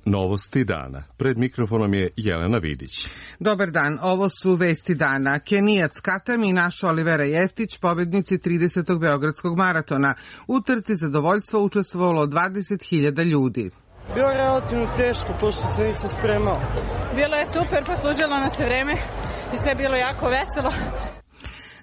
Novosti dana. Pred mikrofonom je Jelena Vidić. Dobar dan, ovo su vesti dana. Kenijac Katam i naša Olivera Jeftić, pobednici 30. Beogradskog maratona. U trci zadovoljstva učestvovalo 20.000 ljudi. Bilo je relativno teško, pošto se nisam spremao. Bilo je super, poslužilo nas se vreme i sve je bilo jako veselo.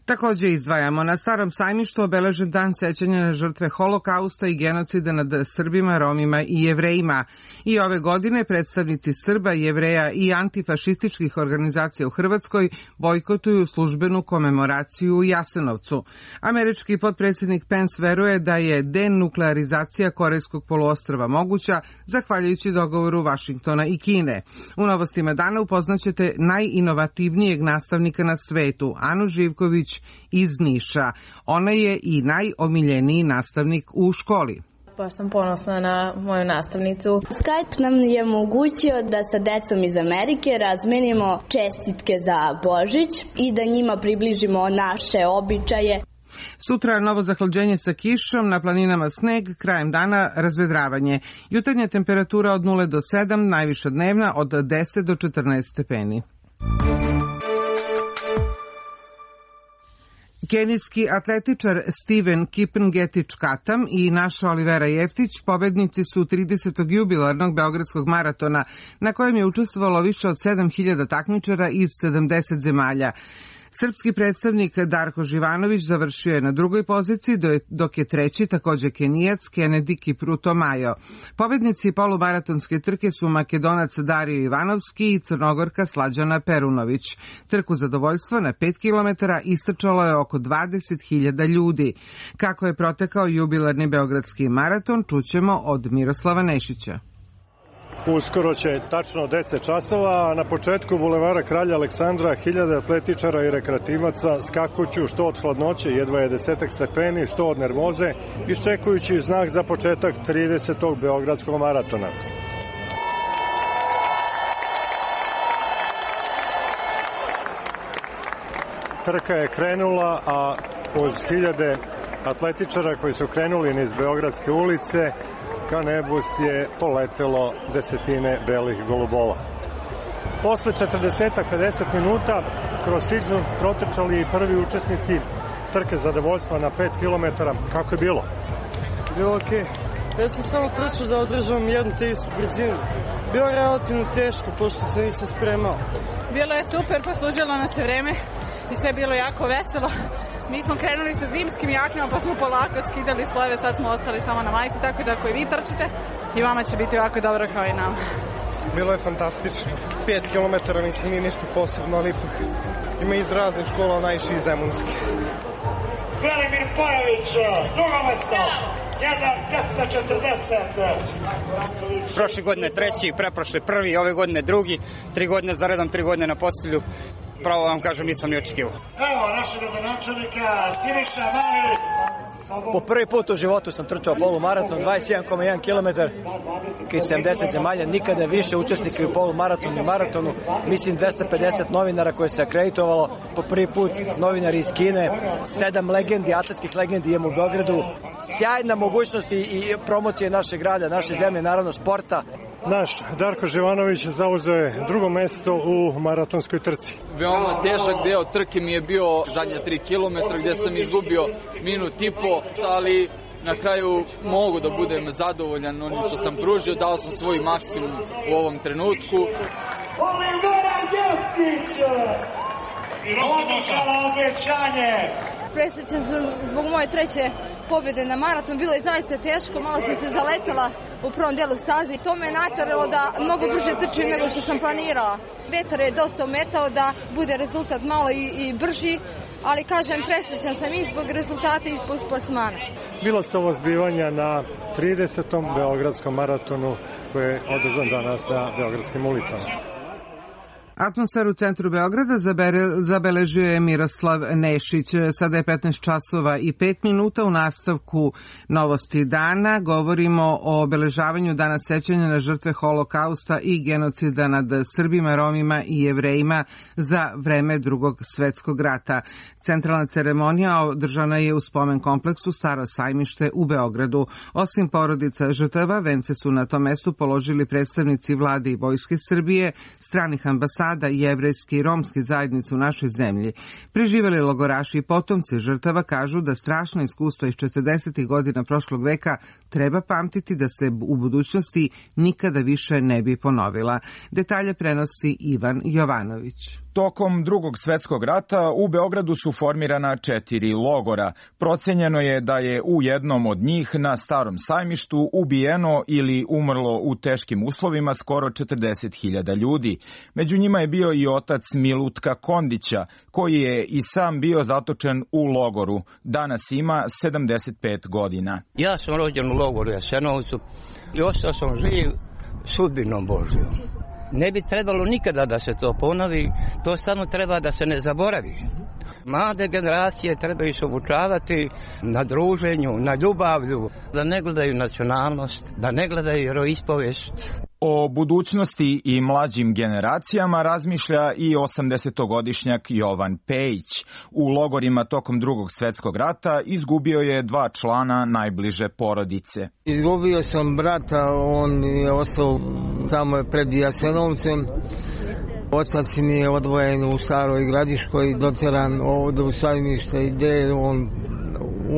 Takođe izdvajamo, na Starom sajmištu obeležen dan sećanja na žrtve Holokausta i genocida nad Srbima, Romima i Jevrejima. I ove godine predstavnici Srba, Jevreja i antifašističkih organizacija u Hrvatskoj bojkotuju službenu komemoraciju u Jasenovcu. Američki potpredsjednik Pence veruje da je denuklearizacija Korejskog poluostrva moguća zahvaljujući dogovoru Vašingtona i Kine. U novostima dana upoznaćete najinovativnijeg nastavnika na svetu, Anu Živković iz Niša. Ona je i najomiljeniji nastavnik u školi. Baš sam ponosna na moju nastavnicu. Skype nam je omogućio da sa decom iz Amerike razmenimo čestitke za Božić i da njima približimo naše običaje. Sutra novo zahlađenje sa kišom, na planinama sneg, krajem dana razvedravanje. Jutarnja temperatura od 0 do 7, najviša dnevna od 10 do 14 stepeni. Kenijski atletičar Steven Kipngetić Katam i naša Olivera Jeftić pobednici su 30. jubilarnog Beogradskog maratona, na kojem je učestvovalo više od 7.000 takmičara iz 70 zemalja. Srpski predstavnik Darko Živanović završio je na drugoj poziciji, dok je treći, takođe Kenijac, Kennedy Kipruto Majo. Pobednici polumaratonske trke su Makedonac Dario Ivanovski i Crnogorka Slađana Perunović. Trku zadovoljstva na 5 km istrčalo je oko 20.000 ljudi. Kako je protekao jubilarni Beogradski maraton, čućemo od Miroslava Nešića. Uskoro će tačno 10 časova, a na početku bulevara Kralja Aleksandra 1000 atletičara i rekreativaca skakuću što od hladnoće, jedva je 10 stepeni, što od nervoze, iščekujući znak za početak 30. Beogradskog maratona. Trka je krenula, a uz 1000 atletičara koji su krenuli niz Beogradske ulice, ka nebu je poletelo desetine belih golubova. Posle 40-50 minuta kroz Sigzun protrčali i prvi učesnici trke zadovoljstva na 5 km. Kako je bilo? Bilo okej. Ja sam samo trčao da održavam jednu te istu brzinu. Bilo je relativno teško, pošto se nisam spremao. Bilo je super, poslužilo nas se vreme i sve je bilo jako veselo. Mi smo krenuli sa zimskim jaknama, pa smo polako skidali slojeve, sad smo ostali samo na majici, tako da ako i vi trčite, i vama će biti ovako dobro kao i nama. Bilo je fantastično. 5 km mislim nije ništa posebno, ali ipak ima iz raznih škola, najviše iz Zemunske. Velimir Pojović, drugo mesto, 1:10:40. Prošle godine treći, preprošle prvi, ove godine drugi, 3 godine za redom, 3 godine na postavlju. Pravo vam kažem, nisam ni očekivao. Evo našeg gradonačelnika Siniša Mali. Po prvi put u životu sam trčao polumaraton, 21,1 km iz 70 zemalja, nikada više učesnika u polumaratonu i maratonu. Mislim 250 novinara koje se akreditovalo, po prvi put novinari iz Kine, 7 legendi, atletskih legendi imamo u Beogradu. Sjajna mogućnost i promocije našeg grada, naše zemlje, naravno sporta. Naš Darko Živanović zauzeo je drugo mesto u maratonskoj trci. Veoma težak deo trke mi je bio zadnja 3 km gde sam izgubio minut i po, ali na kraju mogu da budem zadovoljan onim što sam pružio, dao sam svoj maksimum u ovom trenutku. Olivera Jeftić! Odličala obećanje! Presrećan sam zbog moje treće pobjede na maraton. Bilo je zaista teško, malo sam se zaletela u prvom delu staze. To me je nateralo da mnogo brže trčim nego što sam planirala. Vetar je dosta ometao da bude rezultat malo i brži, ali kažem, presrećan sam i zbog rezultata i zbog plasmana. Bilo su ovo zbivanja na 30. Beogradskom maratonu koji je održan danas na Beogradskim ulicama. Atmosferu u centru Beograda zabeležio je Miroslav Nešić. Sada je 15 časova i 5 minuta. U nastavku novosti dana govorimo o obeležavanju Dana sećanja na žrtve Holokausta i genocida nad Srbima, Romima i Jevrejima za vreme Drugog svetskog rata. Centralna ceremonija održana je u spomen kompleksu Staro sajmište u Beogradu. Osim porodica žrtava, vence su na tom mestu položili predstavnici vlade i vojske Srbije, stranih ambasada, jevrejske i romske zajednice u našoj zemlji. Preživeli logoraši i potomci žrtava kažu da strašno iskustvo iz 40. godina prošlog veka treba pamtiti da se u budućnosti nikada više ne bi ponovila. Detalje prenosi Ivan Jovanović. Tokom Drugog svetskog rata u Beogradu su formirana 4 logora. Procenjeno je da je u jednom od njih na Starom sajmištu ubijeno ili umrlo u teškim uslovima skoro 40.000 ljudi. Među njima je bio i otac Milutka Kondića, koji je i sam bio zatočen u logoru. Danas ima 75 godina. Ja sam rođen u logoru Jasenovcu i ostao sam živ sudbinom Božjom. Ne bi trebalo nikada da se to ponovi, to samo treba da se ne zaboravi. Mlade generacije trebaju se obučavati na druženju, na ljubavlju, da ne gledaju nacionalnost, da ne gledaju veroispovest. O budućnosti i mlađim generacijama razmišlja i 80-godišnjak Jovan Pejić. U logorima tokom Drugog svetskog rata izgubio je 2 člana najbliže porodice. Izgubio sam brata, on je ostao tamo pred Jasenovcem. Otac mi je odvojen u Staroj Gradiškoj, doteran ovdje u Sajmište gdje je on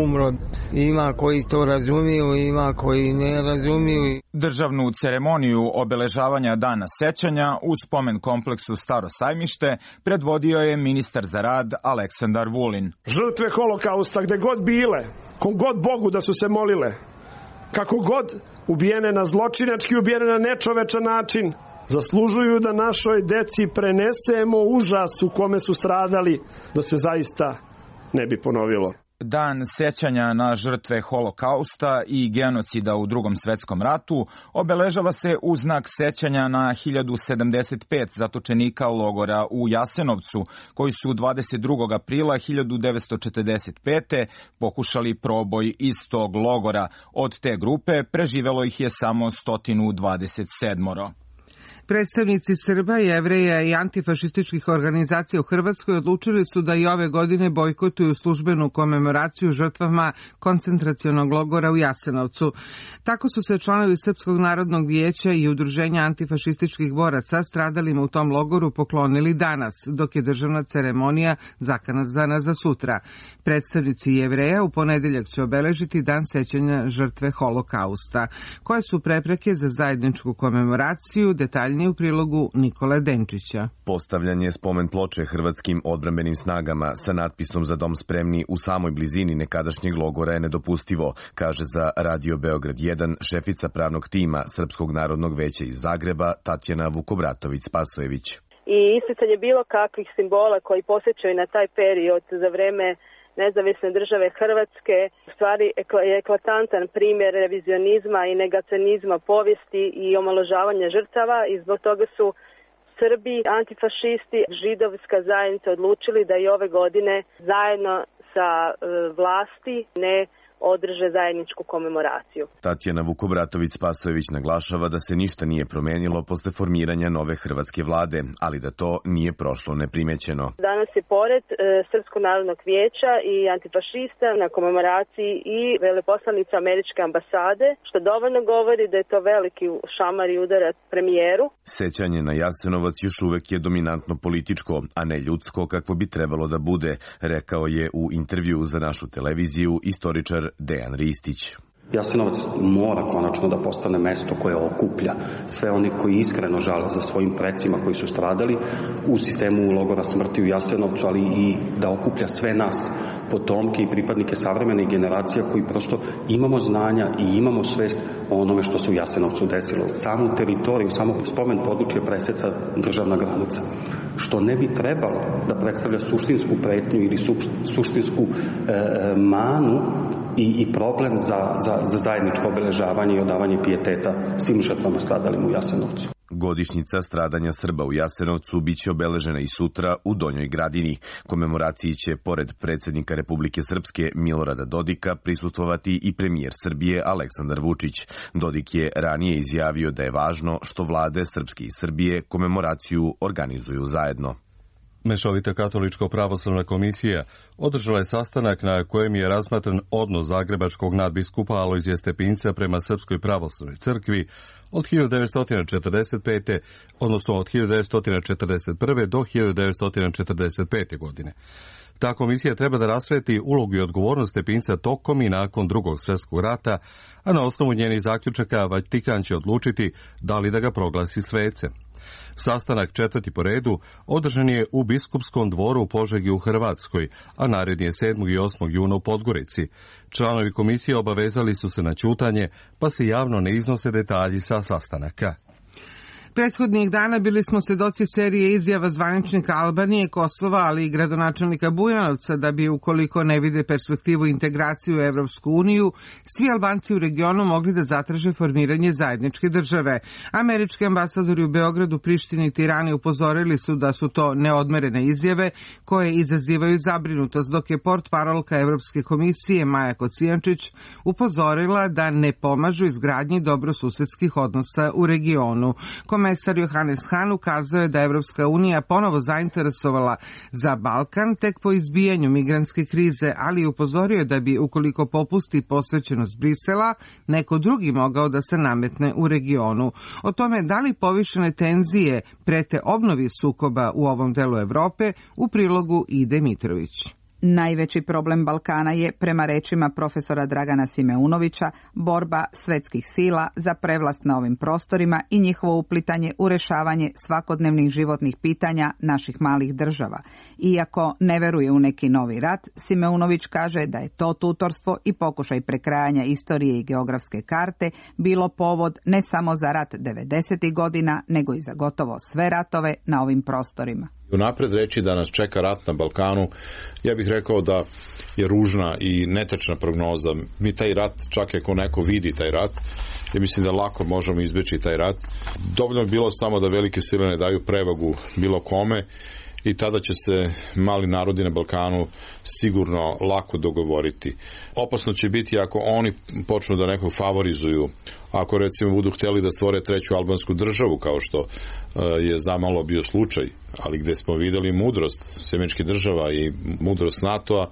umro. Ima koji to razumiju, ima koji ne razumiju. Državnu ceremoniju obeležavanja Dana sećanja u spomen kompleksu Staro sajmište predvodio je ministar za rad Aleksandar Vulin. Žrtve Holokausta gde god bile, kom god Bogu da su se molile, kako god ubijene na zločinački, ubijene na nečovečan način, zaslužuju da našoj deci prenesemo užas u kome su stradali, da se zaista ne bi ponovilo. Dan sećanja na žrtve Holokausta i genocida u Drugom svetskom ratu obeležava se u znak sećanja na 1075 zatočenika logora u Jasenovcu, koji su 22. aprila 1945. pokušali proboj iz tog logora. Od te grupe preživelo ih je samo 127. Predstavnici Srba, Jevreja i antifašističkih organizacija u Hrvatskoj odlučili su da i ove godine bojkotuju službenu komemoraciju žrtvama koncentracionog logora u Jasenovcu. Tako su se članovi Srpskog narodnog vijeća i udruženja antifašističkih boraca stradalima u tom logoru poklonili danas, dok je državna ceremonija zakazana za sutra. Predstavnici Jevreja u ponedeljak će obeležiti Dan sećanja žrtve Holokausta. Koje su prepreke za zajedničku komemoraciju, detalje u prilogu Nikole Denčića. Postavljanje spomen ploče hrvatskim odbrambenim snagama sa natpisom Za dom spremni u samoj blizini nekadašnjeg logora je nedopustivo, kaže za Radio Beograd 1 šefica pravnog tima Srpskog narodnog veća iz Zagreba Tatjana Vukobratović-Spasojević. I isticanje bilo kakvih simbola koji posjećaju na taj period za vreme nezavisne države Hrvatske u stvari je eklatantan primjer revizionizma i negacionizma povijesti i omalovažavanja žrtava i zbog toga su Srbi, antifašisti, židovska zajednica odlučili da i ove godine zajedno sa vlasti ne održe zajedničku komemoraciju. Tatjana Vukobratović-Spasojević naglašava da se ništa nije promenilo posle formiranja nove hrvatske vlade, ali da to nije prošlo neprimećeno. Danas je pored Srpskog narodnog vijeća i antifašista na komemoraciji i veleposlanica američke ambasade, što dovoljno govori da je to veliki šamar i udarac premijeru. Sećanje na Jasenovac još uvek je dominantno političko, a ne ljudsko kakvo bi trebalo da bude, rekao je u intervju za našu televiziju istoričar Dejan Ristić. Jasenovac mora konačno da postane mesto koje okuplja sve oni koji iskreno žale za svojim precima koji su stradali u sistemu logora smrti u Jasenovcu, ali i da okuplja sve nas, potomke i pripadnike savremene generacija koji prosto imamo znanja i imamo svest o onome što se u Jasenovcu desilo. Samu teritoriju, samo spomen područje preseca državna granica, što ne bi trebalo da predstavlja suštinsku pretnju ili suštinsku manu i problem za zajedničko obeležavanje i odavanje pijeteta svim žrtvama stradalim u Jasenovcu. Godišnjica stradanja Srba u Jasenovcu biće obeležena i sutra u Donjoj Gradini. Komemoraciji će, pored predsjednika Republike Srpske Milorada Dodika, prisustvovati i premijer Srbije Aleksandar Vučić. Dodik je ranije izjavio da je važno što vlade Srpske i Srbije komemoraciju organizuju zajedno. Mešovita katoličko-pravoslavna komisija održala je sastanak na kojem je razmatran odnos zagrebačkog nadbiskupa Alojzija Stepinca prema Srpskoj pravoslavnoj crkvi od 1945. odnosno od 1941. do 1945. godine. Ta komisija treba da rasvijetli ulogu i odgovornost Stepinca tokom i nakon Drugog svjetskog rata, a na osnovu njenih zaključaka Vatikan će odlučiti da li da ga proglasi svecem. Sastanak 4. po redu održan je u Biskupskom dvoru u Požegi u Hrvatskoj, a naredni je 7. i 8. juna u Podgorici. Članovi komisije obavezali su se na ćutanje, pa se javno ne iznose detalji sa sastanaka. Prethodnih dana bili smo svedoci serije izjava zvaničnika Albanije, Kosova, ali i gradonačelnika Bujanovca da bi, ukoliko ne vide perspektivu integraciju u Evropsku uniju, svi Albanci u regionu mogli da zatraže formiranje zajedničke države. Američki ambasadori u Beogradu, Prištini i Tirani upozorili su da su to neodmerene izjave koje izazivaju zabrinutost, dok je portparolka Evropske komisije Maja Kocijančić upozorila da ne pomažu izgradnji dobrosusedskih odnosa u regionu. Komesar Johannes Hahn ukazao je da je Evropska unija ponovo zainteresovala za Balkan tek po izbijanju migrantske krize, ali upozorio da bi, ukoliko popusti posvećenost Brisela, neko drugi mogao da se nametne u regionu. O tome da li povišene tenzije prete obnovi sukoba u ovom delu Evrope, u prilogu Ide Mitrović. Najveći problem Balkana je, prema rečima profesora Dragana Simeunovića, borba svetskih sila za prevlast na ovim prostorima i njihovo uplitanje u rešavanje svakodnevnih životnih pitanja naših malih država. Iako ne veruje u neki novi rat, Simeunović kaže da je to tutorstvo i pokušaj prekrajanja istorije i geografske karte bilo povod ne samo za rat 90. godina, nego i za gotovo sve ratove na ovim prostorima. Unapred reći da nas čeka rat na Balkanu, ja bih rekao da je ružna i netačna prognoza. Mi taj rat, čak ako neko vidi taj rat, ja mislim da lako možemo izbeći taj rat. Dovoljno je bilo samo da velike sile ne daju prevagu bilo kome i tada će se mali narodi na Balkanu sigurno lako dogovoriti. Opasno će biti ako oni počnu da nekog favorizuju, ako recimo budu htjeli da stvore treću albansku državu, kao što je zamalo bio slučaj, ali gde smo videli mudrost Sjemeničkih država i mudrost NATO-a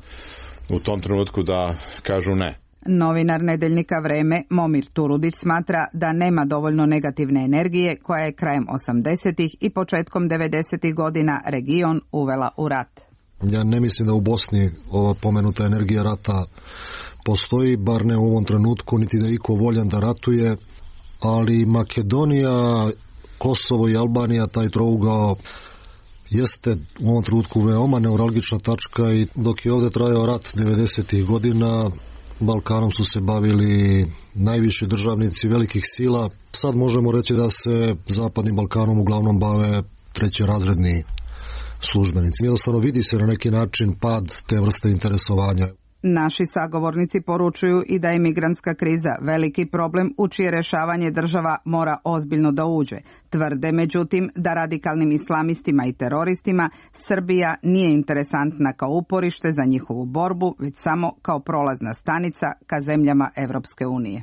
u tom trenutku da kažu ne. Novinar nedeljnika Vreme Momir Turudić smatra da nema dovoljno negativne energije koja je krajem 80. i početkom 90. godina region uvela u rat. Ja ne mislim da u Bosni ova pomenuta energija rata postoji, bar ne u ovom trenutku, niti da je iko voljan da ratuje, ali Makedonija, Kosovo i Albanija, taj trougao jeste u ovom trenutku veoma neuralgična tačka i dok je ovdje trajao rat 90. godina, Balkanom su se bavili najviši državnici velikih sila. Sad možemo reći da se Zapadnim Balkanom uglavnom bave trećerazredni službenici. Jednostavno vidi se na neki način pad te vrste interesovanja. Naši sagovornici poručuju i da je migrantska kriza veliki problem u čije rešavanje država mora ozbiljno da uđe. Tvrde, međutim, da radikalnim islamistima i teroristima Srbija nije interesantna kao uporište za njihovu borbu, već samo kao prolazna stanica ka zemljama Evropske unije.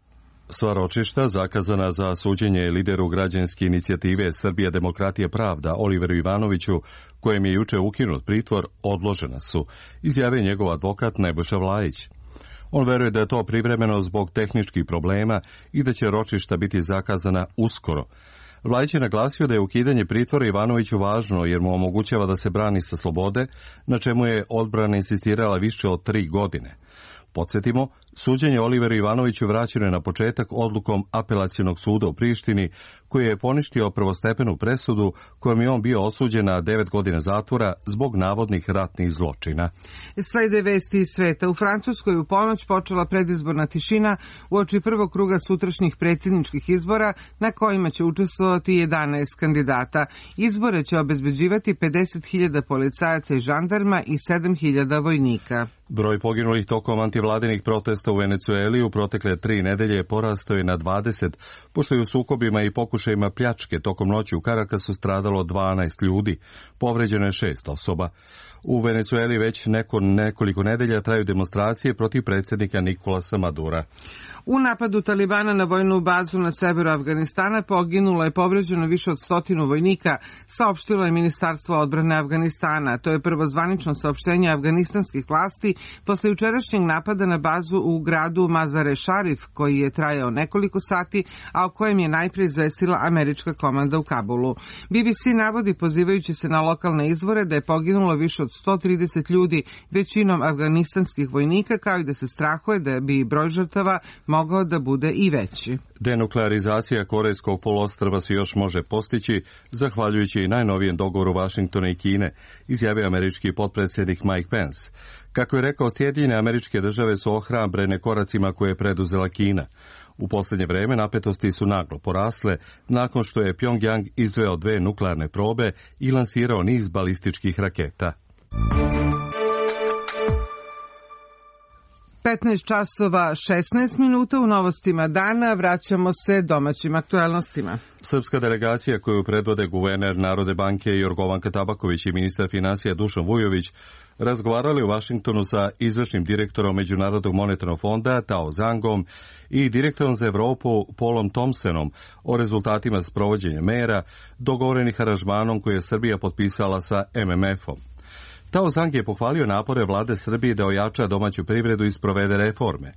Sva ročišta zakazana za suđenje lideru građanske inicijative Srbija demokratija pravda Oliveru Ivanoviću, kojem je juče ukinut pritvor, odložena su, izjavio njegov advokat Nebojša Vlajić. On veruje da je to privremeno zbog tehničkih problema i da će ročišta biti zakazana uskoro. Vlajić je naglasio da je ukidanje pritvora Ivanoviću važno jer mu omogućava da se brani sa slobode, na čemu je odbrana insistirala više od 3 godine. Podsjetimo, suđenje Oliveru Ivanoviću vraćeno je na početak odlukom Apelacionog suda u Prištini, koji je poništio prvostepenu presudu kojom je on bio osuđen na 9 godina zatvora zbog navodnih ratnih zločina. Slede vesti iz sveta. U Francuskoj u ponoć počela predizborna tišina uoči prvog kruga sutrašnjih predsjedničkih izbora na kojima će učestvovati 11 kandidata. Izbore će obezbeđivati 50.000 policajaca i žandarma i 7.000 vojnika. Broj poginulih tokom antivladinih protesta u Venecueli u protekle 3 nedelje porastao je na 20, pošto je u sukobima i pokušajima pljačke tokom noći u Karakasu stradalo 12 ljudi, povređeno je 6 osoba. U Venecueli već nekoliko nedelja traju demonstracije protiv predsjednika Nikolasa Madura. U napadu Talibana na vojnu bazu na severu Afganistana poginulo je povređeno više od 100 vojnika, saopštilo je Ministarstvo odbrane Afganistana. To je prvo zvanično saopštenje afganistanskih vlasti posle jučerašnjeg napada na bazu u gradu Mazare Šarif, koji je trajao nekoliko sati, a o kojem je najprije izvestila američka komanda u Kabulu. BBC navodi, pozivajući se na lokalne izvore, da je poginulo više od 130 ljudi, većinom afganistanskih vojnika, kao i da se strahuje da bi broj žrtava mogao da bude i veći. Denuklearizacija Korejskog poluostrva se još može postići, zahvaljujući i najnovijem dogovoru Vašingtona i Kine, izjavio američki potpredsjednik Mike Pence. Kako je rekao, Sjedinjene Američke Države su ohrabrene koracima koje je preduzela Kina. U posljednje vreme napetosti su naglo porasle nakon što je Pjongjang izveo 2 nuklearne probe i lansirao niz balističkih raketa. 15 časova 16 minuta u novostima dana, vraćamo se domaćim aktualnostima. Srpska delegacija koju predvode guverner Narodne banke Jorgovanka Tabaković i ministar finansija Dušan Vujović razgovarali u Vašingtonu sa izvršnim direktorom Međunarodnog monetarnog fonda Tao Zhangom i direktorom za Evropu Paulom Thompsonom o rezultatima sprovođenja mera dogovorenih aranžmanom koje je Srbija potpisala sa MMF-om. Tao Zhang je pohvalio napore vlade Srbije da ojača domaću privredu i sprovede reforme.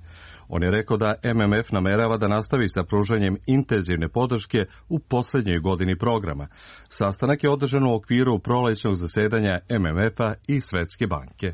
On je rekao da MMF namerava da nastavi sa pružanjem intenzivne podrške u posljednjoj godini programa. Sastanak je održan u okviru prolećnog zasedanja MMF-a i Svetske banke.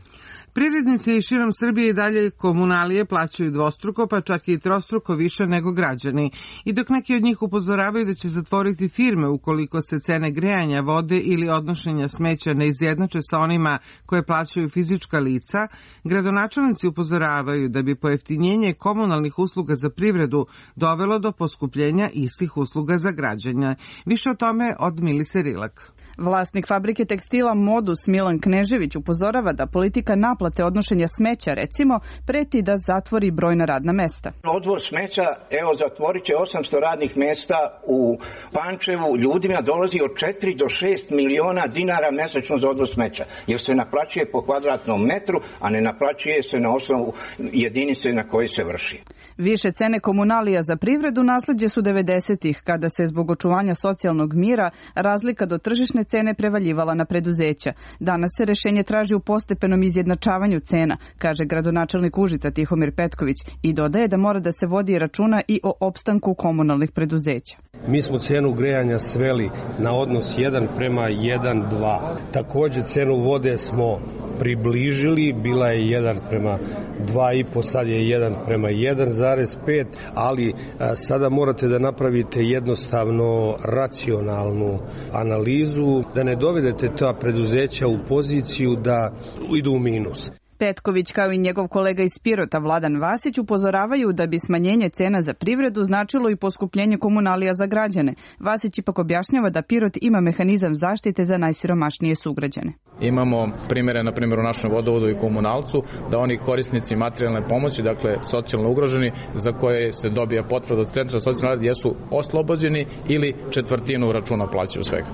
Privrednici širom Srbije i dalje komunalije plaćaju dvostruko, pa čak i trostruko više nego građani. I dok neki od njih upozoravaju da će zatvoriti firme ukoliko se cene grejanja, vode ili odnošenja smeća ne izjednače sa onima koje plaćaju fizička lica, gradonačelnici upozoravaju da bi pojeftinjenje komunalnih usluga za privredu dovelo do poskupljenja istih usluga za građane. Više o tome od Milise Rilak. Vlasnik fabrike tekstila Modus Milan Knežević upozorava da politika naplate odnošenja smeća, recimo, preti da zatvori brojna radna mesta. Odvoz smeća, evo, zatvorit će 800 radnih mesta u Pančevu. Ljudima dolazi od 4 do 6 miliona dinara mesečno za odvoz smeća, jer se naplaćuje po kvadratnom metru, a ne naplaćuje se na osnovu jedinice na koje se vrši. Više cene komunalija za privredu nasleđe su 90-ih, kada se zbog očuvanja socijalnog mira razlika do tržišne cene prevaljivala na preduzeća. Danas se rešenje traži u postepenom izjednačavanju cena, kaže gradonačelnik Užica Tihomir Petković, i dodaje da mora da se vodi računa i o opstanku komunalnih preduzeća. Mi smo cenu grejanja sveli na odnos 1:1:2. Takođe cenu vode smo približili, bila je 1:2,5, sad je 1:1,5, ali sada morate da napravite jednostavno racionalnu analizu, da ne dovedete ta preduzeća u poziciju da idu u minus. Petković kao i njegov kolega iz Pirota Vladan Vasić upozoravaju da bi smanjenje cena za privredu značilo i poskupljenje komunalija za građane. Vasić ipak objašnjava da Pirot ima mehanizam zaštite za najsiromašnije sugrađane. Imamo primjere, na primjer, u našem vodovodu i komunalcu, da oni korisnici materijalne pomoći, dakle socijalno ugroženi, za koje se dobija potvrda od Centra socijalne rada, jesu oslobođeni ili četvrtinu računa plaćaju svega.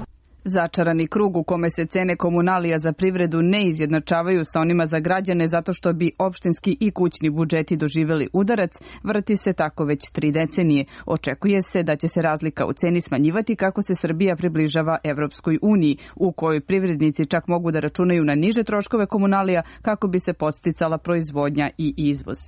Začarani krug u kome se cene komunalija za privredu ne izjednačavaju sa onima za građane zato što bi opštinski i kućni budžeti doživjeli udarac, vrti se tako već 3 decenije. Očekuje se da će se razlika u ceni smanjivati kako se Srbija približava Evropskoj uniji, u kojoj privrednici čak mogu da računaju na niže troškove komunalija kako bi se podsticala proizvodnja i izvoz.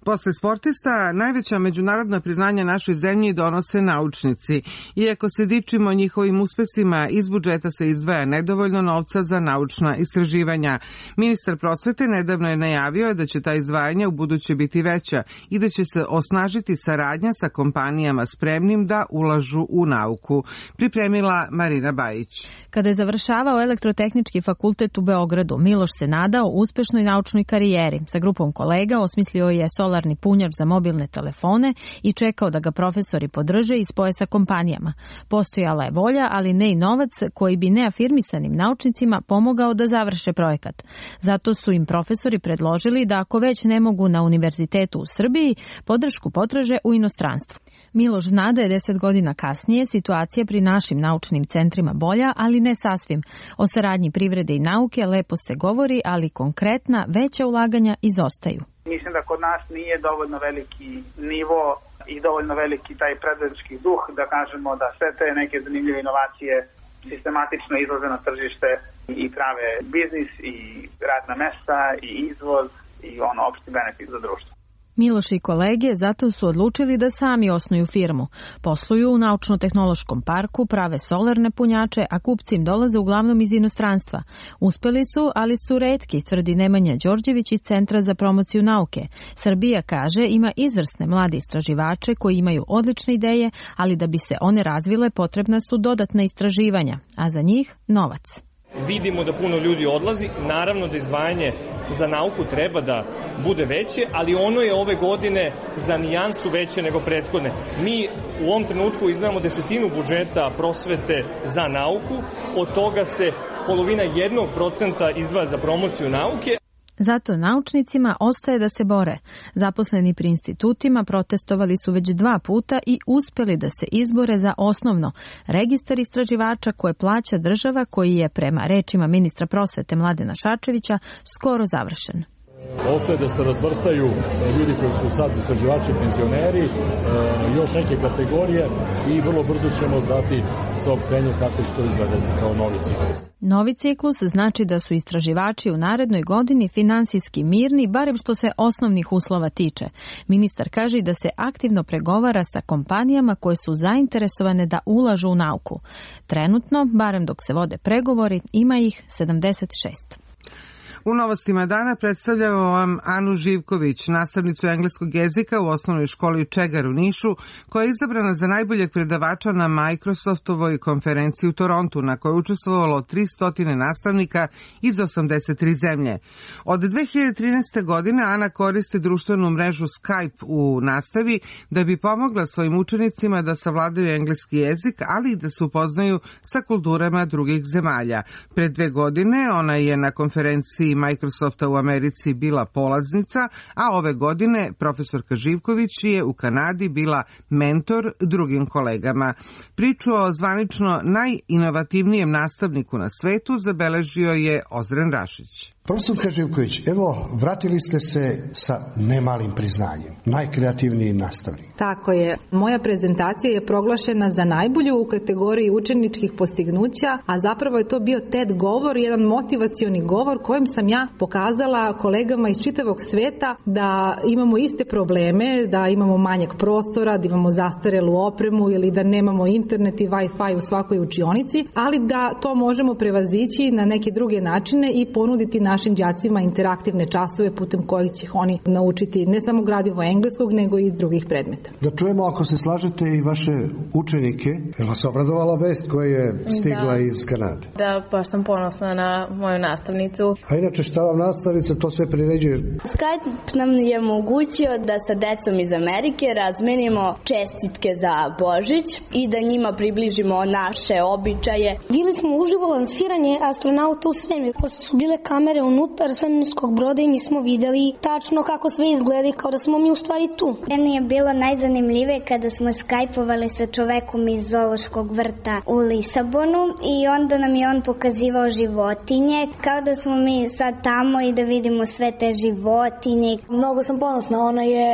Posle sportista, najveća međunarodna priznanja našoj zemlji donose naučnici. Iako se dičimo njihovim uspesima, iz budžeta se izdvaja nedovoljno novca za naučna istraživanja. Ministar prosvete nedavno je najavio da će ta izdvajanja u buduće biti veća i da će se osnažiti saradnja sa kompanijama spremnim da ulažu u nauku. Pripremila Marina Bajić. Kada je završavao Elektrotehnički fakultet u Beogradu, Miloš se nadao uspešnoj naučnoj karijeri. Sa grupom kolega osmislio je solarnu solarni punjač za mobilne telefone i čekao da ga profesori podrže i spoje sa kompanijama. Postojala je volja, ali ne i novac koji bi neafirmisanim naučnicima pomogao da završe projekat. Zato su im profesori predložili da ako već ne mogu na univerzitetu u Srbiji, podršku potraže u inostranstvu. Miloš zna da je 10 godina kasnije situacija pri našim naučnim centrima bolja, ali ne sasvim. O saradnji privrede i nauke lepo se govori, ali konkretna veća ulaganja izostaju. Mislim da kod nas nije dovoljno veliki nivo i dovoljno veliki taj preduzetnički duh da kažemo da sve te neke zanimljive inovacije sistematično izlaze na tržište i prave biznis i radna mesta i izvoz i opšti benefit za društvo. Miloš i kolege zato su odlučili da sami osnuju firmu. Posluju u naučno-tehnološkom parku, prave solarne punjače, a kupci im dolaze uglavnom iz inostranstva. Uspeli su, ali su retki, tvrdi Nemanja Đorđević iz Centra za promociju nauke. Srbija, kaže, ima izvrsne mlade istraživače koji imaju odlične ideje, ali da bi se one razvile potrebna su dodatna istraživanja, a za njih novac. Vidimo da puno ljudi odlazi, naravno da izdvajanje za nauku treba da bude veće, ali ono je ove godine za nijansu veće nego prethodne. Mi u ovom trenutku izdvajamo 10% budžeta prosvete za nauku, od toga se polovina 1% izdvaja za promociju nauke. Zato naučnicima ostaje da se bore. Zaposleni pri institutima protestovali su već 2 puta i uspeli da se izbore za osnovno registar istraživača koje plaća država, koji je prema rečima ministra prosvete Mladena Šarčevića skoro završen. Ostaje da se razvrstaju ljudi koji su sad istraživači, penzioneri, još neke kategorije i vrlo brzo ćemo dati saopštenje kako će to izgledati kao novi ciklus. Novi ciklus znači da su istraživači u narednoj godini finansijski mirni, barem što se osnovnih uslova tiče. Ministar kaže da se aktivno pregovara sa kompanijama koje su zainteresovane da ulažu u nauku. Trenutno, barem dok se vode pregovori, ima ih 76. U novostima dana predstavljamo vam Anu Živković, nastavnicu engleskog jezika u osnovnoj školi Čegar u Nišu, koja je izabrana za najboljeg predavača na Microsoftovoj konferenciji u Torontu, na kojoj je učestvovalo 300 nastavnika iz 83 zemlje. Od 2013. godine Ana koristi društvenu mrežu Skype u nastavi da bi pomogla svojim učenicima da savladaju engleski jezik, ali i da se upoznaju sa kulturama drugih zemalja. Pred 2 godine ona je na konferenciji Microsofta u Americi bila polaznica, a ove godine profesorka Živković je u Kanadi bila mentor drugim kolegama. Priču o zvanično najinovativnijem nastavniku na svetu zabeležio je Ozren Rašić. Profesorka Živković, evo, vratili ste se sa nemalim priznanjem, najkreativniji nastavnik. Tako je. Moja prezentacija je proglašena za najbolju u kategoriji učeničkih postignuća, a zapravo je to bio TED govor, jedan motivacioni govor kojim sam ja pokazala kolegama iz čitavog sveta da imamo iste probleme, da imamo manjak prostora, da imamo zastarelu opremu ili da nemamo internet i Wi-Fi u svakoj učionici, ali da to možemo prevazići na neke druge načine i ponuditi našim đacima interaktivne časove putem kojih će oni naučiti ne samo gradivo engleskog, nego i drugih predmeta. Da čujemo, ako se slažete, i vaše učenike. Je vas obradovala vest koja je stigla iz Kanade? Da, baš sam ponosna na moju nastavnicu. A inače, šta vam nastavnica to sve priređuje? Skype nam je omogućio da sa decom iz Amerike razmenimo čestitke za Božić i da njima približimo naše običaje. Bili smo uživo lansiranje astronauta u svemir, pošto su bile kamere unutar svemirskog broda i mi smo videli tačno kako sve izgleda kao da smo mi u stvari tu. Meni je bilo najzanimljivije kada smo skajpovali sa čovekom iz zoološkog vrta u Lisabonu i onda nam je on pokazivao životinje, kao da smo mi sad tamo i da vidimo sve te životinje. Mnogo sam ponosna, ona je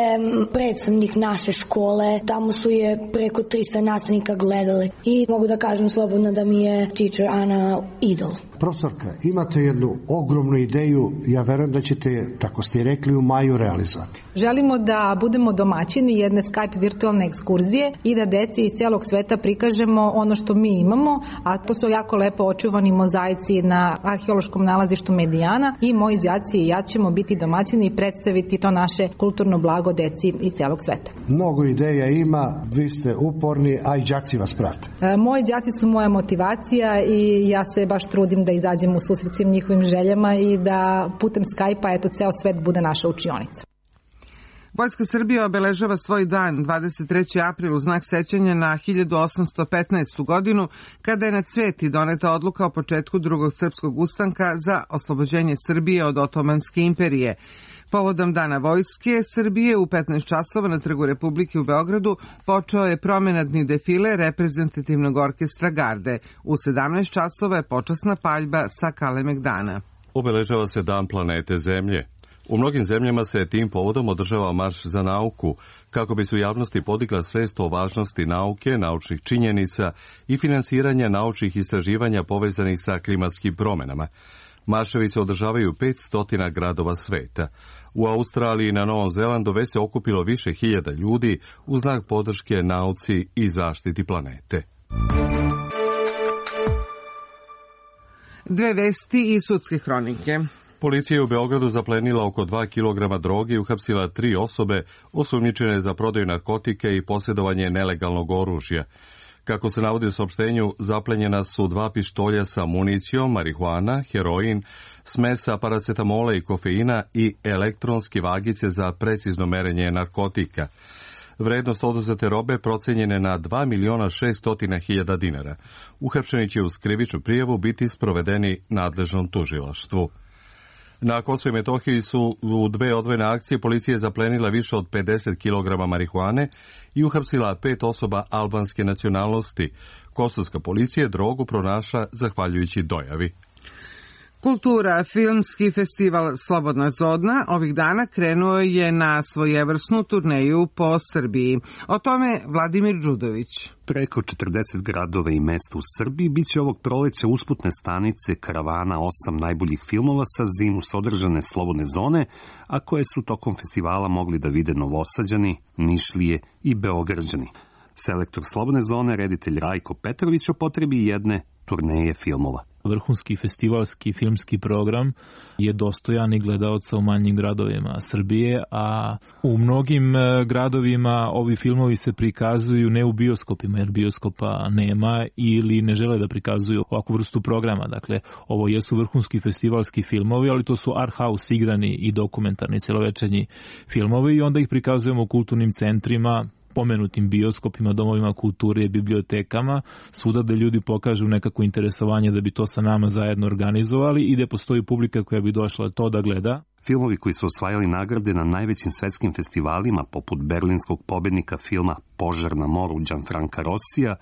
predstavnik naše škole, tamo su je preko 300 nastavnika gledali i mogu da kažem slobodno da mi je teacher Ana idol. Profesorka, imate jednu ogromnu ideju, ja verujem da ćete, tako ste i rekli, u maju realizovati. Želimo da budemo domaćini jedne Skype virtualne ekskurzije i da deci iz cijelog sveta prikažemo ono što mi imamo, a to su jako lepo očuvani mozaici na arheološkom nalazištu Medijana i moji đaci i ja ćemo biti domaćini i predstaviti to naše kulturno blago deci iz cijelog sveta. Mnogo ideja ima, vi ste uporni, a i đaci vas prate. Moji đaci su moja motivacija i ja se baš trudim da izađem u susret svim njihovim željama i da putem Skype-a ceo svet bude naša učionica. Vojska Srbije obeležava svoj dan 23. april u znak sećanja na 1815. godinu, kada je na Cveti doneta odluka o početku drugog srpskog ustanka za oslobođenje Srbije od Otomanske imperije. Povodom Dana Vojske Srbije u 15 časova na Trgu Republike u Beogradu počeo je promenadni defile reprezentativnog orkestra Garde. U 17 časova je počasna paljba sa Kalemegdana. Obeležava se Dan planete Zemlje. U mnogim zemljama se tim povodom održava marš za nauku, kako bi se u javnosti podigla svest o važnosti nauke, naučnih činjenica i finansiranja naučnih istraživanja povezanih sa klimatskim promjenama. Marševi se održavaju u 500 gradova sveta. U Australiji i na Novom Zelandu već se okupilo više hiljada ljudi u znak podrške nauci i zaštiti planete. Dve vesti i sudske hronike. Policija je u Beogradu zaplenila oko 2 kg droge i uhapsila 3 osobe osumnjičene za prodaju narkotike i posjedovanje nelegalnog oružja. Kako se navodi u saopštenju, zaplenjena su 2 pištolja sa municijom, marihuana, heroin, smesa paracetamola i kofeina i elektronske vagice za precizno merenje narkotika. Vrednost oduzete robe procenjene na 2.600.000 dinara. Uhapšeni će uz krivičnu prijavu biti sprovedeni nadležnom tužilaštvu. Na Kosovu i Metohiji su u 2 odvojene akcije policija zaplenila više od 50 kg marihuane i uhapsila 5 osoba albanske nacionalnosti. Kosovska policija drogu pronašla zahvaljujući dojavi. Kultura, filmski festival Slobodna zona ovih dana krenuo je na svojevrsnu turneju po Srbiji. O tome Vladimir Đudović. Preko 40 gradova i mesta u Srbiji biće ovog proleća usputne stanice karavana 8 najboljih filmova sa zimus održane Slobodne zone, a koje su tokom festivala mogli da vide Novosađani, Nišlije i Beograđani. Selektor Slobodne zone, reditelj Rajko Petrović, o potrebi jedne turneje filmova. Vrhunski festivalski filmski program je dostojan i gledaoca u manjim gradovima Srbije, a u mnogim gradovima ovi filmovi se prikazuju ne u bioskopima, jer bioskopa nema ili ne žele da prikazuju ovakvu vrstu programa. Dakle, ovo jesu vrhunski festivalski filmovi, ali to su art house igrani i dokumentarni celovečernji filmovi i onda ih prikazujemo u kulturnim centrima, pomenutim bioskopima, domovima kulture, bibliotekama, svuda da ljudi pokažu nekako interesovanje da bi to sa nama zajedno organizovali i da postoji publika koja bi došla to da gleda. Filmovi koji su osvajali nagrade na najvećim svetskim festivalima, poput berlinskog pobednika filma Požar na moru Gianfranca Rossija,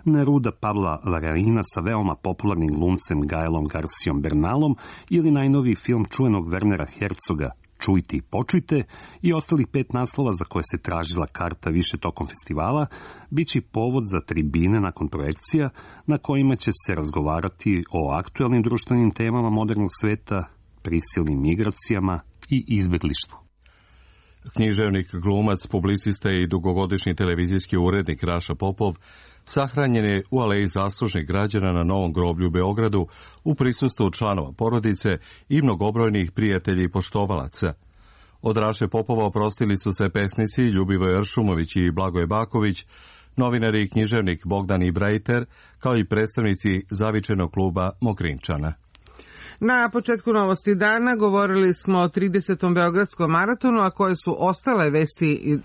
Neruda Pabla Larraína sa veoma popularnim glumcem Gaelom Garcijom Bernalom ili najnoviji film čuvenog Wernera Herzoga Čujte i počujte i ostalih 5 naslova za koje se tražila karta više tokom festivala, bit će povod za tribine nakon projekcija na kojima će se razgovarati o aktuelnim društvenim temama modernog sveta, prisilnim migracijama i izbeglištvu. Književnik, glumac, publicista i dugogodišnji televizijski urednik Raša Popov sahranjen je u aleji zaslužnih građana na Novom groblju u Beogradu u prisustvu članova porodice i mnogobrojnih prijatelji i poštovalaca. Od Raše Popova oprostili su se pesnici Ljubivoje Ršumović i Blagoje Baković, novinari i književnik Bogdan Ibrajter, kao i predstavnici zavičajnog kluba Mokrinčana. Na početku novosti dana govorili smo o 30. Beogradskom maratonu, a koje su ostale vesti,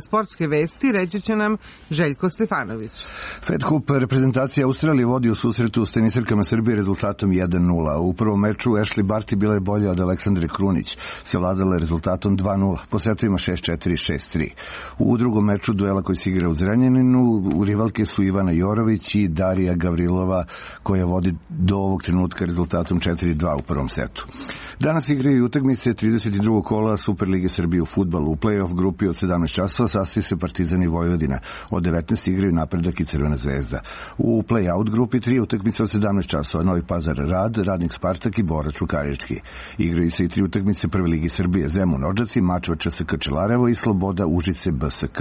sportske vesti, reći će nam Željko Stefanović. Fed Cup reprezentacija Australije vodi u susretu s tenisirkama Srbije rezultatom 1-0. U prvom meču Ashley Barty bila je bolja od Aleksandre Krunić, savladala je rezultatom 2-0, po setovima 6-4 i 6-3. U drugom meču duela koji se igra u Zrenjaninu, rivalke su Ivana Jorović i Darija Gavrilova, koja vodi do ovog trenutka rezultatom 4-2 u prvom setu. Danas igraju utakmice 32. kola Superlige Srbije u fudbalu. U play-off grupi od 17 časova sastoji se Partizan i Vojvodina. Od 19 igraju Napredak i Crvena zvezda. U play-out grupi 3 utakmice od 17 časova. Novi Pazar Rad, Radnik Spartak i Bora Čukarički. Igraju se i 3 utakmice Prve lige Srbije. Zemun Odžaci, Mačva ČSK Čelarevo i Sloboda Užice BSK.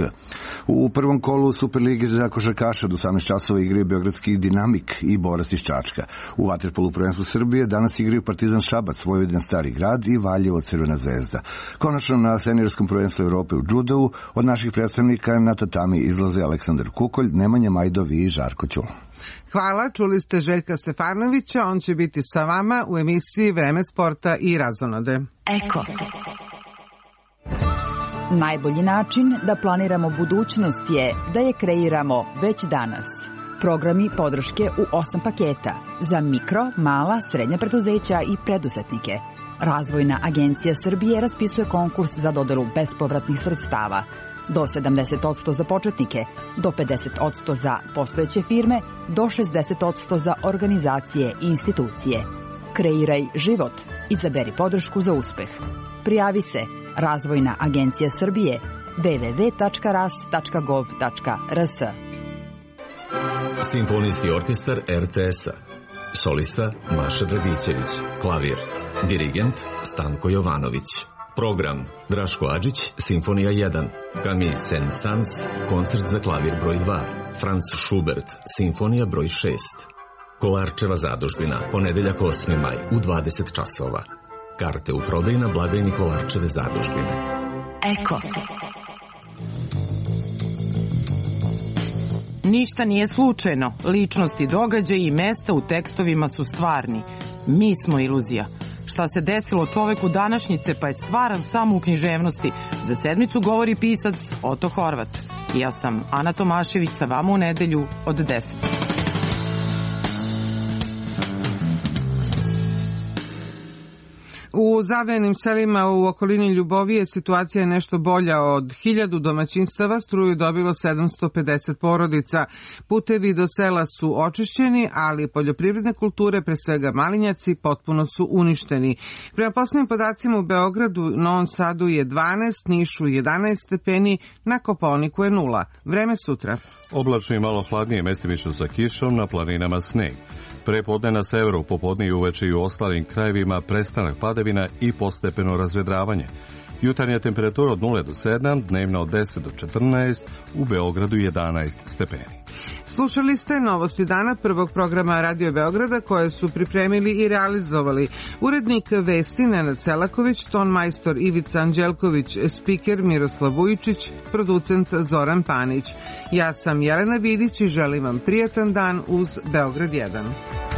U prvom kolu Superlige za košarkaša od 18 časova igraju Beogradski Dinamik i Borac iz Čačka. U vaterpolu prvenstvu Srbije danas igraju Partizan Šabac, Vojvodina Stari grad i Valjevo Crvena zvezda. Konačno na seniorskom prvenstvu Evrope u džudovu od naših predstavnika na tatami izlaze Aleksandar Kukolj, Nemanja Majdov i Žarko Ćul. Hvala, čuli ste Željka Stefanovića, on će biti sa vama u emisiji Vreme sporta i razonode. Eko. Najbolji način da planiramo budućnost je da je kreiramo već danas. Programi podrške u 8 paketa za mikro, mala, srednja preduzeća i preduzetnike. Razvojna agencija Srbije raspisuje konkurs za dodelu bespovratnih sredstava. Do 70% za početnike, do 50% za postojeće firme, do 60% za organizacije i institucije. Kreiraj život. Izaberi podršku za uspeh. Prijavi se Razvojna agencija Srbije www.ras.gov.rs. Simfonijski orkestar RTS-a. Solista Maša Dragićević. Klavir. Dirigent Stanko Jovanović. Program Draško Adžić, Simfonija 1. Camille Saint-Saëns, koncert za klavir broj 2. Franz Schubert, Simfonija broj 6. Kolarčeva zadužbina, ponedeljak 8. maj u 20 časova. Karte u prodaju na blagajni Kolarčeve zadužbine. Eko. Ništa nije slučajno. Ličnosti, događaji i mesta u tekstovima su stvarni. Mi smo iluzija. Šta se desilo čoveku današnjice pa je stvaran samo u književnosti. Za sedmicu govori pisac Oto Horvat. Ja sam Ana Tomašević, sa vama u nedelju od 10. U zavejenim selima u okolini Ljubovije situacija je nešto bolja. Od 1000 domaćinstava struju dobilo 750 porodica. Putevi do sela su očišćeni, ali poljoprivredne kulture, pre svega malinjaci, potpuno su uništeni. Prema poslednjim podacima u Beogradu, Novom Sadu je 12, Nišu 11 stepeni, na Kopaoniku je 0. Vreme sutra. Oblačno i malo hladnije, mestimično sa kišom, na planinama sneg. Prepodne na severu, popodne i uveče i u ostalim krajevima prestanak padavina i postepeno razvedravanje. Jutarnja temperatura od 0 do 7, dnevna od 10 do 14, u Beogradu 11 stepeni. Slušali ste novosti dana prvog programa Radio Beograda koje su pripremili i realizovali urednik vesti Nenad Selaković, ton majstor Ivica Anđelković, spiker Miroslav Vujičić, producent Zoran Panić. Ja sam Jelena Vidić i želim vam prijatan dan uz Beograd 1.